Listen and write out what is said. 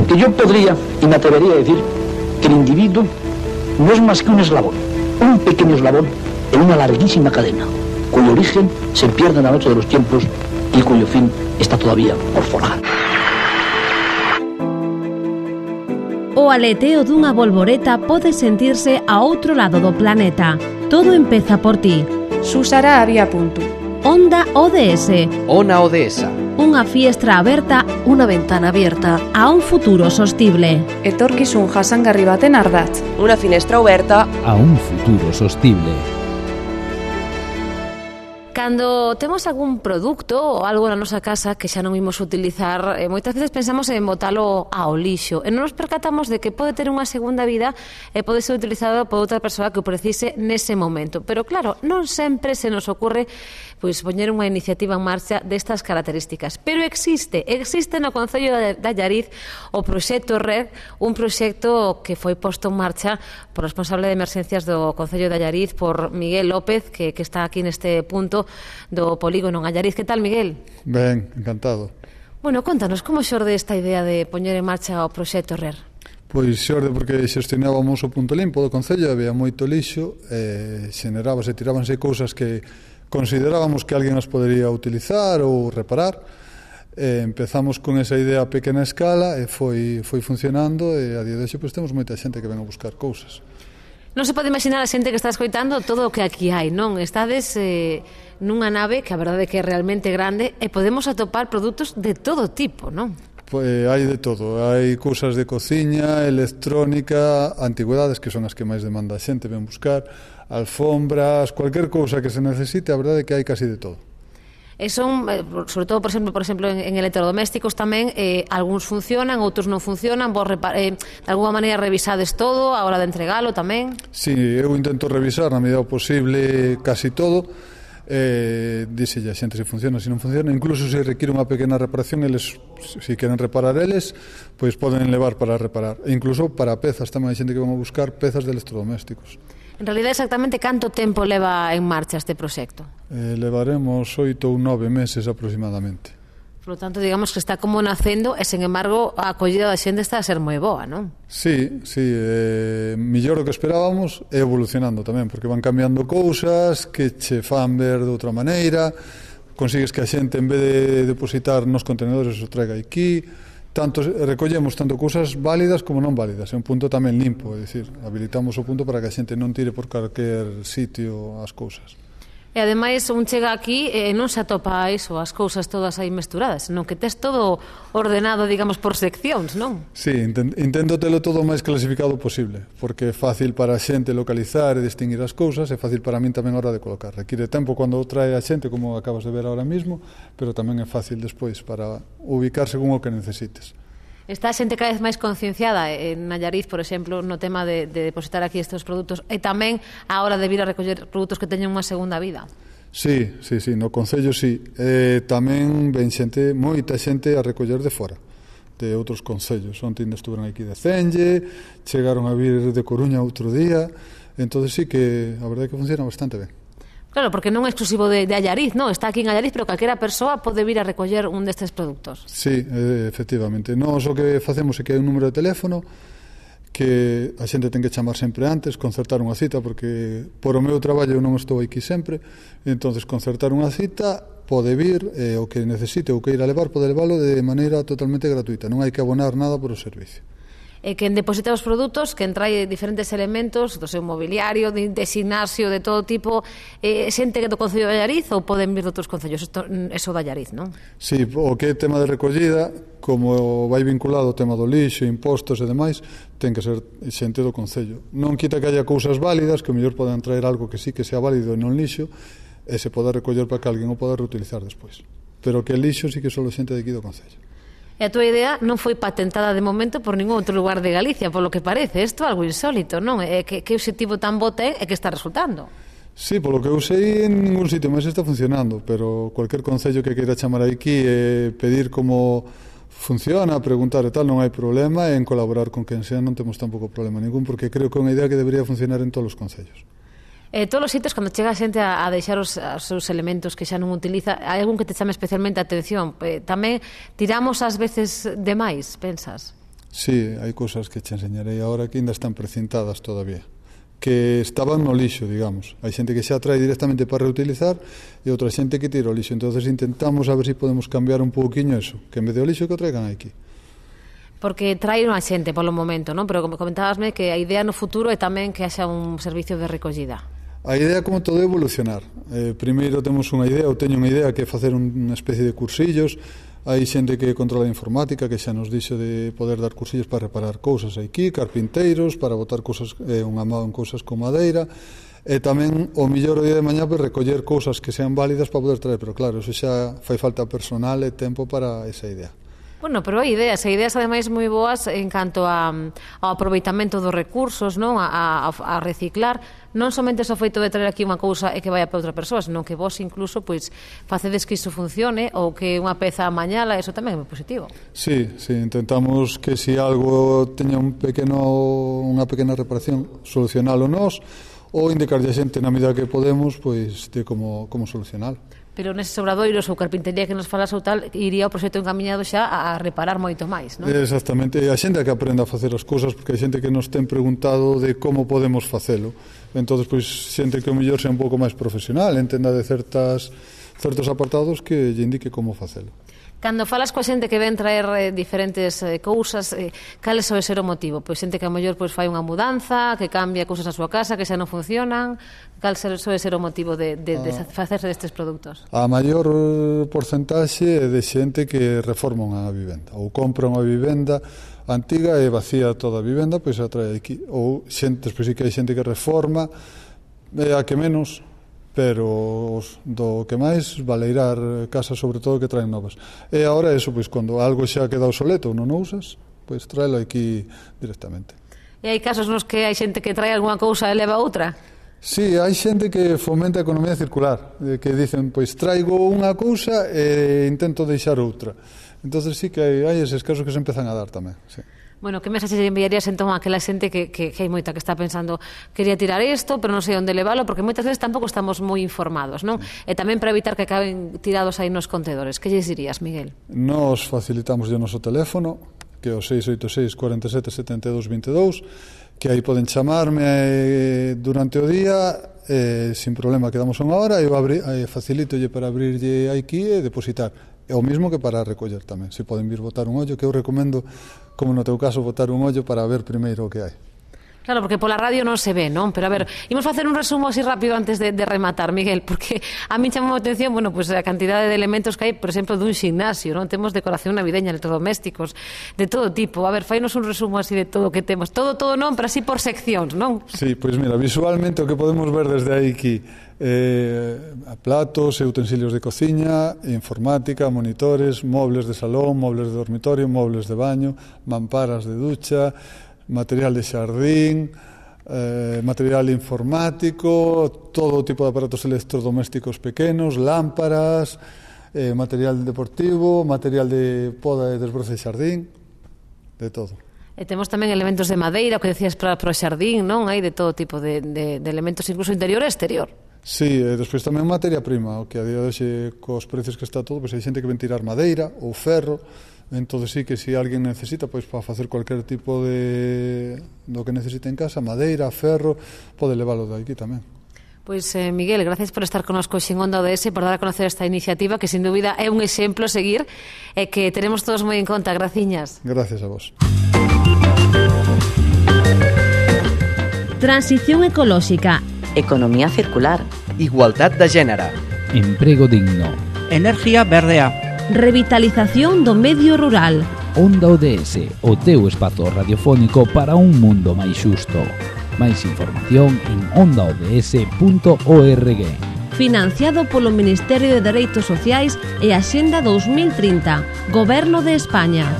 Porque yo podría y me atrevería a decir que el individuo no es más que un eslabón, un pequeño eslabón en una larguísima cadena, cuyo origen se pierde en la noche de los tiempos y cuyo fin está todavía por forjar. O aleteo dunha bolboreta pode sentirse a outro lado do planeta. Todo empeza por ti. Susara había punto. Onda ODS. Ona Odesa. Unha fiestra aberta, unha ventana abierta a un futuro sostible. Etorkizun jasangarri baten ardatz. Unha finestra aberta a un futuro sostible. Cando temos algún produto ou algo na nosa casa que xa non imos utilizar, moitas veces pensamos en botalo ao lixo e non nos percatamos de que pode ter unha segunda vida e pode ser utilizado por outra persoa que o precise nese momento. Pero claro, non sempre se nos ocurre pois poñer unha iniciativa en marcha destas características. Pero existe no Concello de Allariz o proxecto RED, un proxecto que foi posto en marcha por responsable de emerxencias do Concello de Allariz, por Miguel López, que está aquí neste punto do polígono en Allariz. Que tal, Miguel? Ben, encantado. Bueno, contanos, como xorde esta idea de poñer en marcha o proxecto RER? Pois xorde porque xestionábamos o punto limpo do Concello, había moito lixo, tirábanse cousas que considerábamos que alguén as podería utilizar ou reparar. Empezamos con esa idea a pequena escala e foi funcionando e a día de hoxe pois, temos moita xente que ven a buscar cousas. Non se pode imaginar a xente que está escoitando todo o que aquí hai, non? Estades nunha nave que a verdade é que é realmente grande e podemos atopar produtos de todo tipo, non? Pois hai de todo, hai cousas de cociña, electrónica, antigüedades que son as que máis demanda a xente, ven buscar, alfombras, cualquier cousa que se necesite, a verdade é que hai casi de todo. E son, sobre todo, por exemplo, en electrodomésticos tamén, algúns funcionan, outros non funcionan, vos de alguma maneira revisades todo a hora de entregalo tamén? Sí, eu intento revisar na medida posible casi todo, díxelle a xente se funciona, se non funciona, incluso se require unha pequena reparación, eles, se queren reparar eles, pois poden levar para reparar, e incluso para pezas, tamén hai xente que van a buscar pezas de electrodomésticos. En realidad, exactamente canto tempo leva en marcha este proxecto? Levaremos 8 ou 9 meses aproximadamente. Por lo tanto, digamos que está como nacendo e, sen embargo, a acollida da xente está a ser moi boa, non? Sí, millor do que esperábamos e evolucionando tamén, porque van cambiando cousas que che fan ver de outra maneira, consigues que a xente, en vez de depositar nos contenedores, o traiga aquí, recollemos tanto cousas válidas como non válidas, é un punto tamén limpo, é dicir, habilitamos o punto para que a xente non tire por calquer sitio as cousas. E ademais un chega aquí e non se atopa iso, as cousas todas aí mesturadas, senón que tes todo ordenado, digamos, por seccións, non? Sí, intento telo todo o máis clasificado posible, porque é fácil para a xente localizar e distinguir as cousas, é fácil para min tamén a hora de colocar. Require tempo cando trae a xente, como acabas de ver ahora mismo, pero tamén é fácil despois para ubicar según o que necesites. Está a xente cada vez máis concienciada en Allariz, por exemplo, no tema de depositar aquí estes produtos e tamén a hora de vir a recoller produtos que teñen unha segunda vida. Sí, no Concello sí. Tamén ven xente, moita xente a recoller de fora, de outros concellos. Onte estuveron aquí de Cenge, chegaron a vir de Coruña outro día, entonces sí que a verdade é que funciona bastante ben. Claro, porque non é exclusivo de Allariz, non? Está aquí en Allariz, pero calquera persoa pode vir a recoller un destes produtos. Sí, efectivamente. Nós o que facemos é que hai un número de teléfono que a xente ten que chamar sempre antes, concertar unha cita, porque por o meu traballo eu non estou aquí sempre, entonces concertar unha cita, pode vir, o que necesite ou que ir a levar, pode leválo de maneira totalmente gratuita, non hai que abonar nada por o servicio. E quen deposita os produtos, quen trae diferentes elementos do seu mobiliario, de gimnasio, de todo tipo, xente que do Concello de Allariz ou poden vir de outros concellos? Eso de Allariz, non? Sí, o que é tema de recollida, como vai vinculado ao tema do lixo, impostos e demais, ten que ser xente do Concello. Non quita que haya cousas válidas, que o mellor poden traer algo que sí que sea válido e non lixo, e se poda recoller para que alguén o poda reutilizar despois. Pero que lixo sí que só xente de aquí do Concello. E a túa idea non foi patentada de momento por ningún outro lugar de Galicia, por lo que parece. Isto é algo insólito, non? Que obxectivo tan bo ten e que está resultando? Sí, polo que eu sei, en ningún sitio máis está funcionando, pero cualquier concello que queira chamar aquí e pedir como funciona, preguntar e tal, non hai problema, e en colaborar con quen sea non temos tampouco problema ningún, porque creo que é unha idea que debería funcionar en todos os concellos. Todos os sitios, cando chega a xente a deixar os seus elementos que xa non utiliza, hai algún que te chame especialmente a atención? Tamén tiramos ás veces demais, pensas? Sí, hai cousas que che enseñarei agora que ainda están precintadas todavía, que estaban no lixo, digamos. Hai xente que xa trae directamente para reutilizar e outra xente que tira o lixo. Entonces intentamos a ver se podemos cambiar un pouquiño eso, que en vez de o lixo que o traigan aquí. Porque traen a xente polo momento, non? Pero como comentabasme que a idea no futuro é tamén que haxa un servicio de recollida. A idea, como todo, é evolucionar. Primeiro temos unha idea, ou teño unha idea, que é facer unha especie de cursillos. Hai xente que controla a informática, que xa nos dixo de poder dar cursillos para reparar cousas aquí, carpinteiros, para botar cousas, unha mão en cousas con madeira, e tamén o millor o día de mañá para recoller cousas que sean válidas para poder traer, pero claro, eso xa fai falta personal e tempo para esa idea. Bueno, pero hai ideas ademais moi boas en canto ao aproveitamento dos recursos, non? A reciclar, non somente o feito de traer aquí unha cousa e que vaya para outra persoa, senón que vos incluso pois facedes que iso funcione ou que unha peza amañala, eso tamén é moi positivo. Sí, intentamos que se algo teña unha pequena reparación, solucionalo nós ou indicarlle a xente na medida que podemos pois de como solucionalo. Pero neses obradoiros ou carpintería que nos falas ou tal, iría o proxecto encaminhado xa a reparar moito máis, non? Exactamente, a xente que aprenda a facer as cousas, porque hai xente que nos ten preguntado de como podemos facelo. Entón, pois, xente que o mellor sea un pouco máis profesional, entenda de certos apartados que lle indique como facelo. Cando falas coa xente que ven traer diferentes cousas, cal soe ser o motivo? Pois xente que a mellor pois fai unha mudanza, que cambia cousas na súa casa, que xa non funcionan, cal soe ser o motivo de facerse destes produtos? A maior porcentaxe é de xente que reforma unha vivenda, ou compra unha vivenda antiga e vacía toda a vivenda, pois a trae aquí, ou xente, pois sí que hai xente que reforma, a que menos, pero do que máis valeirar casas, sobre todo, que traen novas. E agora eso, pois, cando algo xa queda obsoleto ou non usas, pois tráelo aquí directamente. E hai casos nos que hai xente que trae algunha cousa e leva outra? Sí, hai xente que fomenta a economía circular, que dicen, pois traigo unha cousa e intento deixar outra. Entonces sí que hai eses casos que se empezan a dar tamén, sí. Bueno, que mensaxe enviarías entón a aquela xente que hai moita que está pensando quería tirar isto, pero non sei onde levalo, porque moitas veces tampouco estamos moi informados, non? E tamén para evitar que acaben tirados aí nos contedores. Que lles dirías, Miguel? Nos facilitamos o noso teléfono, que é o 686 47 72 22, que aí poden chamarme durante o día, sin problema, quedamos unha hora, e eu facilitolle para abrirlle aquí e depositar. É o mismo que para recoller tamén. Se poden vir botar un ollo, que eu recomendo, como no teu caso, botar un ollo para ver primeiro o que hai. Claro, porque pola radio non se ve, non? Pero a ver, imos facer un resumo así rápido antes de rematar, Miguel, porque a mí chamou a atención, bueno, pues a cantidade de elementos que hai, por exemplo, dun ximnasio, non? Temos decoración navideña, electrodomésticos, de todo tipo. A ver, fainos un resumo así de todo o que temos. Todo non, pero así por seccións, non? Sí, pois mira, visualmente o que podemos ver desde aí aquí, platos e utensilios de cociña, informática, monitores, mobles de salón, mobles de dormitorio, mobles de baño, mamparas de ducha, material de xardín, material informático, todo tipo de aparatos electrodomésticos pequenos, lámparas, material deportivo, material de poda e desbroce de xardín, de todo. E temos tamén elementos de madeira, o que decías para o xardín, non? Hai de todo tipo de elementos, incluso interior e exterior. Sí, e despois tamén materia prima, o que a día de hoxe, cos precios que está todo, pois hai xente que ven tirar madeira ou ferro. Entón sí que se alguén necesita, pois para facer cualquier tipo de do que necesite en casa, madeira, ferro, pode leválo de aquí tamén. Pois Miguel, gracias por estar connosco en Onda ODS, por dar a conocer esta iniciativa que sin dúbida é un exemplo a seguir e que teremos todos moi en conta. Graciñas. Gracias a vos. Transición ecolóxica, Economía circular, Igualdad de género, Emprego digno, Energía verdea, revitalización do medio rural. Onda ODS, o teu espazo radiofónico para un mundo máis xusto. Máis información en ondaods.org. Financiado polo Ministerio de Dereitos Sociais e Axenda 2030, Goberno de España.